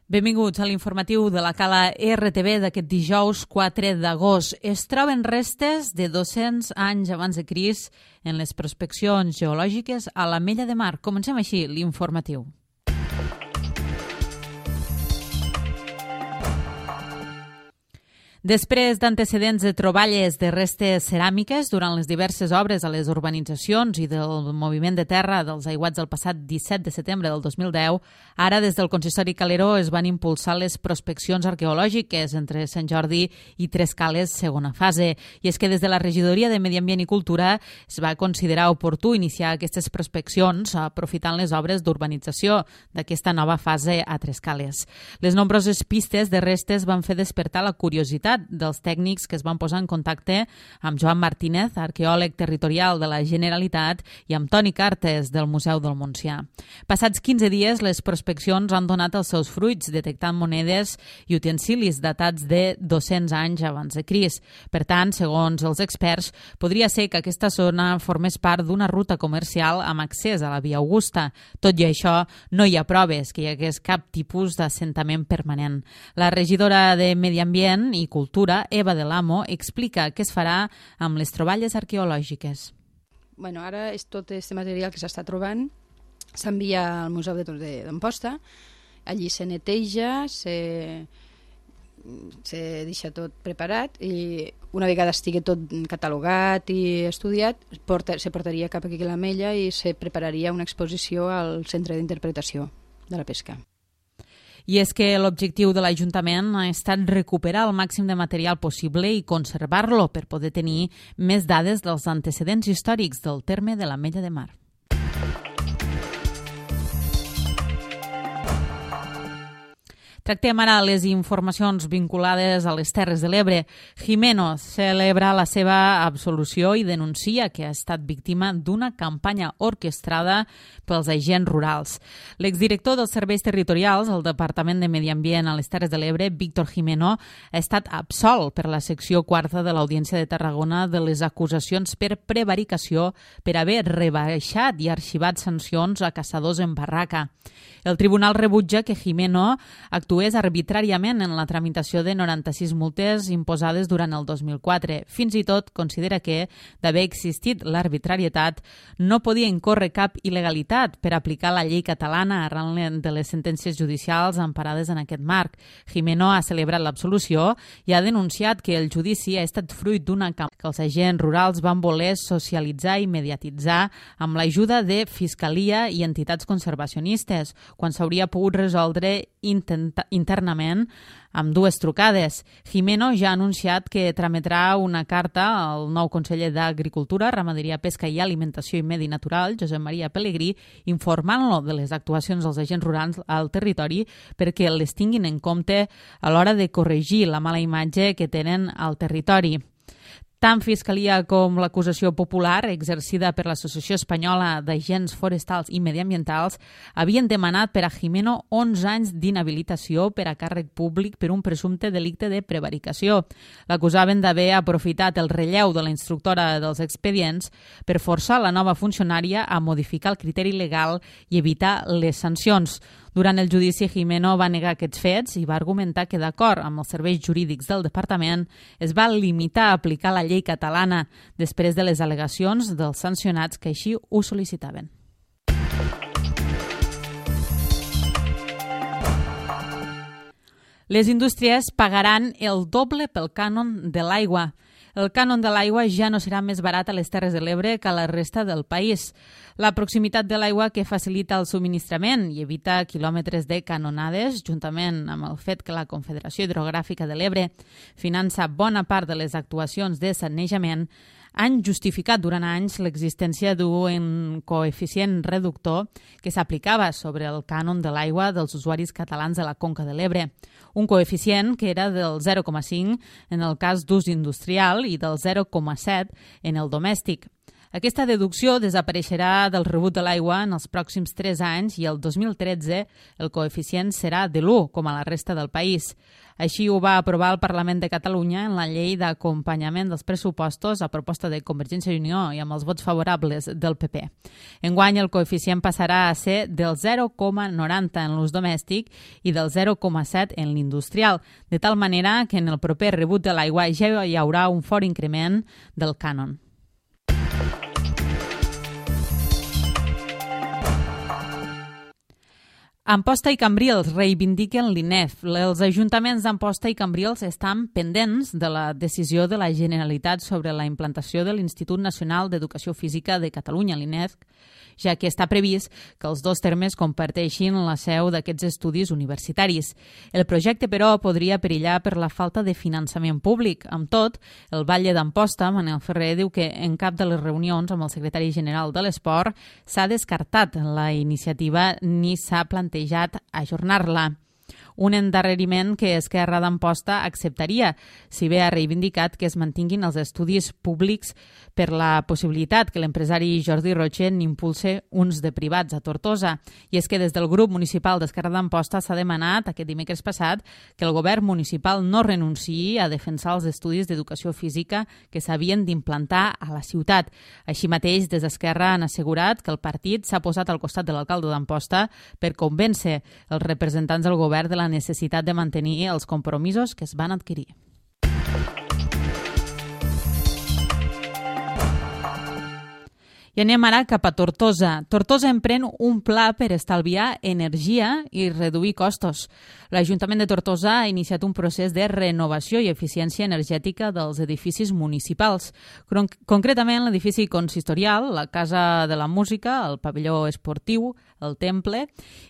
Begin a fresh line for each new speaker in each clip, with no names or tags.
Benvinguts a l'informatiu de la Cala RTV d'aquest dijous 4 d'agost. Es troben restes de 200 anys abans de Crist en les prospeccions geològiques a l'Ametlla de Mar. Comencem així l'informatiu. Després d'antecedents de troballes de restes ceràmiques durant les diverses obres a les urbanitzacions i del moviment de terra dels aiguats del passat 17 de setembre del 2010, ara des del Consistori Caleró es van impulsar les prospeccions arqueològiques entre Sant Jordi i Trescales, segona fase. I és que des de la Regidoria de Medi Ambient i Cultura es va considerar oportú iniciar aquestes prospeccions aprofitant les obres d'urbanització d'aquesta nova fase a Trescales. Les nombroses pistes de restes van fer despertar la curiositat dels tècnics que es van posar en contacte amb Joan Martínez, arqueòleg territorial de la Generalitat, i amb Toni Cartes, del Museu del Montsià. Passats 15 dies, les prospeccions han donat els seus fruits, detectant monedes i utensilis datats de 200 anys abans de Crist. Per tant, segons els experts, podria ser que aquesta zona formés part d'una ruta comercial amb accés a la Via Augusta. Tot i això, no hi ha proves que hi hagués cap tipus d'assentament permanent. La regidora de Medi Ambient i Cultura, Eva del Amo, explica què es farà amb les troballes arqueològiques.
Ara és tot aquest material que s'està trobant, s'envia al Museu d'Amposta, allí se neteja, se deixa tot preparat i una vegada estigui tot catalogat i estudiat, se portaria cap aquí a l'Ametlla i se prepararia una exposició al Centre d'Interpretació de la Pesca.
I és que l'objectiu de l'Ajuntament ha estat recuperar el màxim de material possible i conservar-lo per poder tenir més dades dels antecedents històrics del terme de l'Ametlla de Mar. Tractem ara les informacions vinculades a les Terres de l'Ebre. Jimeno celebra la seva absolució i denuncia que ha estat víctima d'una campanya orquestrada pels agents rurals. L'exdirector dels Serveis Territorials al Departament de Medi Ambient a les Terres de l'Ebre, Víctor Jimeno, ha estat absolt per la secció quarta de l'Audiència de Tarragona de les acusacions per prevaricació per haver rebaixat i arxivat sancions a caçadors en barraca. El tribunal rebutja que Jimeno actués arbitràriament en la tramitació de 96 multes imposades durant el 2004. Fins i tot considera que, d'haver existit l'arbitrarietat, no podia incórrer cap il·legalitat per aplicar la llei catalana arran de les sentències judicials emparades en aquest marc. Jimeno ha celebrat l'absolució i ha denunciat que el judici ha estat fruit d'una campanya que els agents rurals van voler socialitzar i mediatitzar amb l'ajuda de Fiscalia i entitats conservacionistes, quan s'hauria pogut resoldre internament amb dues trucades. Jimeno ja ha anunciat que trametrà una carta al nou conseller d'Agricultura, Ramaderia, Pesca i Alimentació i Medi Natural, Josep Maria Pelegrí, informant-lo de les actuacions dels agents rurals al territori perquè les tinguin en compte a l'hora de corregir la mala imatge que tenen al territori. Tant Fiscalia com l'acusació popular, exercida per l'Associació Espanyola d'Agents Forestals i Mediambientals, havien demanat per a Jimeno 11 anys d'inhabilitació per a càrrec públic per un presumpte delicte de prevaricació. L'acusaven d'haver aprofitat el relleu de la instructora dels expedients per forçar la nova funcionària a modificar el criteri legal i evitar les sancions. Durant el judici, Jimeno va negar aquests fets i va argumentar que, d'acord amb els serveis jurídics del departament, es va limitar a aplicar la llei catalana després de les al·legacions dels sancionats que així ho sol·licitaven. Les indústries pagaran el doble pel cànon de l'aigua. El cànon de l'aigua ja no serà més barat a les Terres de l'Ebre que a la resta del país. La proximitat de l'aigua que facilita el subministrament i evita quilòmetres de canonades, juntament amb el fet que la Confederació Hidrogràfica de l'Ebre finança bona part de les actuacions de sanejament, han justificat durant anys l'existència d'un coeficient reductor que s'aplicava sobre el cànon de l'aigua dels usuaris catalans de la Conca de l'Ebre. Un coeficient que era del 0,5 en el cas d'ús industrial i del 0,7 en el domèstic. Aquesta deducció desapareixerà del rebut de l'aigua en els pròxims 3 anys i el 2013 el coeficient serà de l'1, com a la resta del país. Així ho va aprovar el Parlament de Catalunya en la llei d'acompanyament dels pressupostos a proposta de Convergència i Unió i amb els vots favorables del PP. Enguany el coeficient passarà a ser del 0,90 en l'ús domèstic i del 0,7 en l'industrial, de tal manera que en el proper rebut de l'aigua ja hi haurà un fort increment del cànon. Amposta i Cambrils reivindiquen l'INEF. Els ajuntaments d'Amposta i Cambrils estan pendents de la decisió de la Generalitat sobre la implantació de l'Institut Nacional d'Educació Física de Catalunya, l'INEF, ja que està previst que els dos termes comparteixin la seu d'aquests estudis universitaris. El projecte, però, podria perillar per la falta de finançament públic. Amb tot, el batlle d'Amposta, Manel Ferrer, diu que en cap de les reunions amb el secretari general de l'Esport s'ha descartat la iniciativa ni s'ha plantejat ajornar-la. Un endarreriment que Esquerra d'Amposta acceptaria, si bé ha reivindicat que es mantinguin els estudis públics per la possibilitat que l'empresari Jordi Roche n'impulse uns de privats a Tortosa. I és que des del grup municipal d'Esquerra d'Amposta s'ha demanat aquest dimecres passat que el govern municipal no renunciï a defensar els estudis d'educació física que s'havien d'implantar a la ciutat. Així mateix, des d'Esquerra han assegurat que el partit s'ha posat al costat de l'alcalde d'Amposta per convèncer els representants del govern de la necessitat de mantenir els compromisos que es van adquirir. I anem ara cap a Tortosa. Tortosa emprèn un pla per estalviar energia i reduir costos. L'Ajuntament de Tortosa ha iniciat un procés de renovació i eficiència energètica dels edificis municipals. Concretament, l'edifici consistorial, la Casa de la Música, el pavelló esportiu, el Temple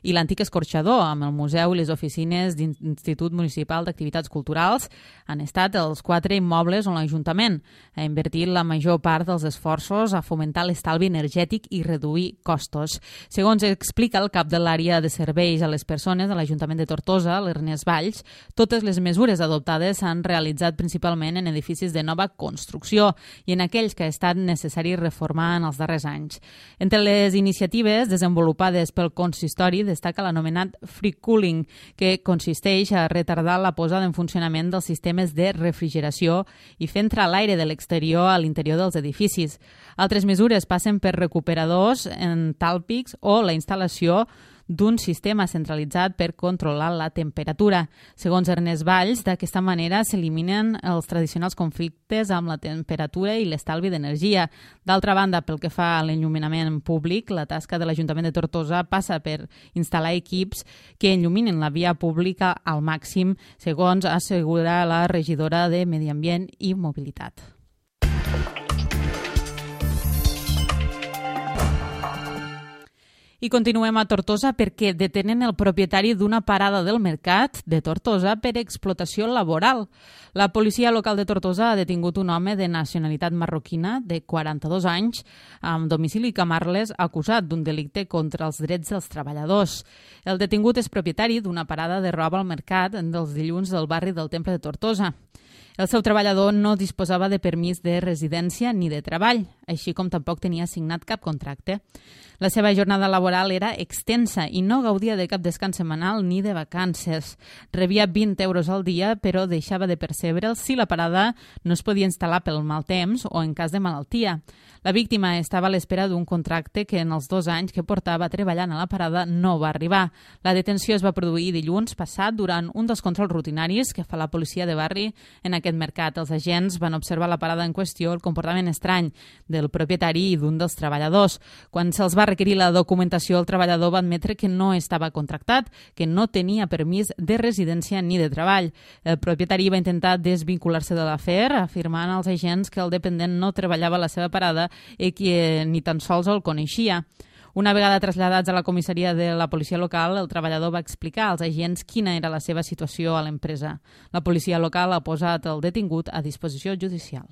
i l'antic escorxador, amb el museu i les oficines d'Institut Municipal d'Activitats Culturals, han estat els 4 immobles on l'Ajuntament ha invertit la major part dels esforços a fomentar l'estalvi energètic i reduir costos. Segons explica el cap de l'àrea de serveis a les persones de l'Ajuntament de Tortosa, l'Ernest Valls, totes les mesures adoptades s'han realitzat principalment en edificis de nova construcció i en aquells que ha estat necessari reformar en els darrers anys. Entre les iniciatives desenvolupades pel consistori destaca l'anomenat free cooling, que consisteix a retardar la posada en funcionament dels sistemes de refrigeració i fer entrar l'aire de l'exterior a l'interior dels edificis. Altres mesures passen per recuperadors entàlpics o la instal·lació d'un sistema centralitzat per controlar la temperatura. Segons Ernest Valls, d'aquesta manera s'eliminen els tradicionals conflictes amb la temperatura i l'estalvi d'energia. D'altra banda, pel que fa a l'enlluminament públic, la tasca de l'Ajuntament de Tortosa passa per instal·lar equips que enlluminen la via pública al màxim, segons assegura la regidora de Medi Ambient i Mobilitat. I continuem a Tortosa perquè detenen el propietari d'una parada del mercat de Tortosa per explotació laboral. La policia local de Tortosa ha detingut un home de nacionalitat marroquina de 42 anys amb domicili Camarles acusat d'un delicte contra els drets dels treballadors. El detingut és propietari d'una parada de roba al mercat dels dilluns del barri del Temple de Tortosa. El seu treballador no disposava de permís de residència ni de treball, així com tampoc tenia signat cap contracte. La seva jornada laboral era extensa i no gaudia de cap descans setmanal ni de vacances. Rebia 20 euros al dia, però deixava de percebre'ls si la parada no es podia instal·lar pel mal temps o en cas de malaltia. La víctima estava a l'espera d'un contracte que en els 2 anys que portava treballant a la parada no va arribar. La detenció es va produir dilluns passat durant un dels controls rutinaris que fa la policia de barri en aquest mercat. Els agents van observar la parada en qüestió el comportament estrany del propietari i d'un dels treballadors. Quan se'ls va requerir la documentació, el treballador va admetre que no estava contractat, que no tenia permís de residència ni de treball. El propietari va intentar desvincular-se de l'afer, afirmant als agents que el dependent no treballava a la seva parada i que ni tan sols el coneixia. Una vegada traslladats a la comissaria de la policia local, el treballador va explicar als agents quina era la seva situació a l'empresa. La policia local ha posat el detingut a disposició judicial.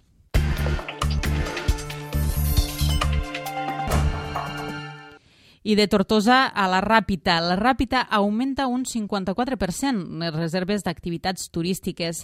I de Tortosa a la Ràpita. La Ràpita augmenta un 54% les reserves d'activitats turístiques.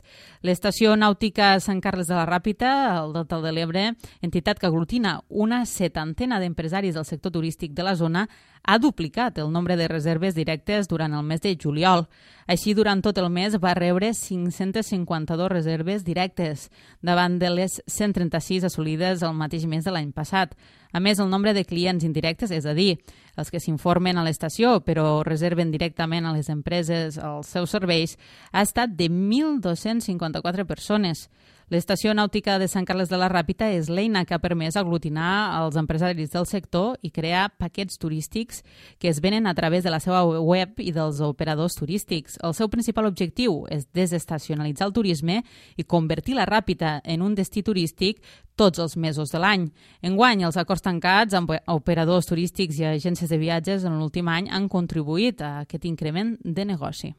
L'estació nàutica Sant Carles de la Ràpita, al Delta de l'Ebre, entitat que aglutina una 70 d'empresaris del sector turístic de la zona, ha duplicat el nombre de reserves directes durant el mes de juliol. Així, durant tot el mes va rebre 552 reserves directes, davant de les 136 assolides el mateix mes de l'any passat. A més, el nombre de clients indirectes, és a dir, els que s'informen a l'estació però reserven directament a les empreses els seus serveis, ha estat de 1.254 persones. L'estació nàutica de Sant Carles de la Ràpita és l'eina que ha permès aglutinar els empresaris del sector i crear paquets turístics que es venen a través de la seva web i dels operadors turístics. El seu principal objectiu és desestacionalitzar el turisme i convertir la Ràpita en un destí turístic tots els mesos de l'any. Enguany, els acords tancats amb operadors turístics i agències de viatges en l'últim any han contribuït a aquest increment de negoci.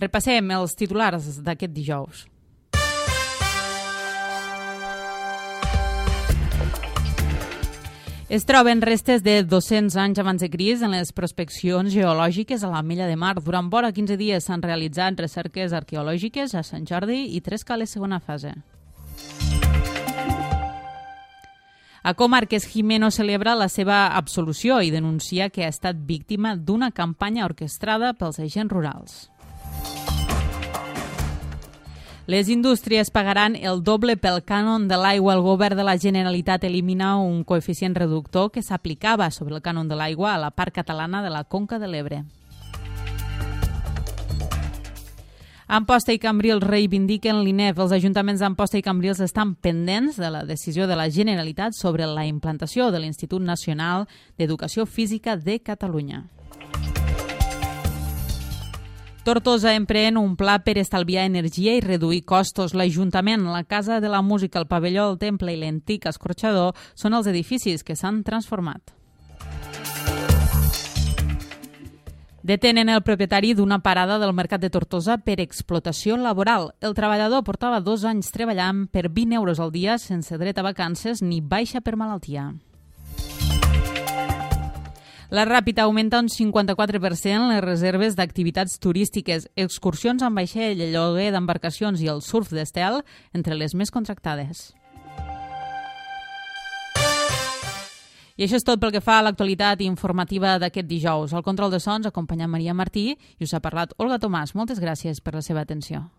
Repassem els titulars d'aquest dijous. Es troben restes de 200 anys abans de Crist en les prospeccions geològiques a la Mella de Mar. Durant vora 15 dies s'han realitzat recerques arqueològiques a Sant Jordi i Trescales segona fase. A Comarques, Jimeno celebra la seva absolució i denuncia que ha estat víctima d'una campanya orquestrada pels agents rurals. Les indústries pagaran el doble pel cànon de l'aigua. El govern de la Generalitat elimina un coeficient reductor que s'aplicava sobre el cànon de l'aigua a la part catalana de la Conca de l'Ebre. Amposta i Cambrils reivindiquen l'INEF. Els ajuntaments d'Amposta i Cambrils estan pendents de la decisió de la Generalitat sobre la implantació de l'Institut Nacional d'Educació Física de Catalunya. Tortosa emprèn un pla per estalviar energia i reduir costos. L'Ajuntament, la Casa de la Música, el Pavelló del Temple i l'antic escorxador són els edificis que s'han transformat. Detenen el propietari d'una parada del mercat de Tortosa per explotació laboral. El treballador portava 2 anys treballant per 20 euros al dia sense dret a vacances ni baixa per malaltia. La Ràpita augmenta un 54% les reserves d'activitats turístiques, excursions amb vaixell, lloguer d'embarcacions i el surf d'estel entre les més contractades. I això és tot pel que fa a l'actualitat informativa d'aquest dijous. Al control de sons acompanya Maria Martí i us ha parlat Olga Tomàs. Moltes gràcies per la seva atenció.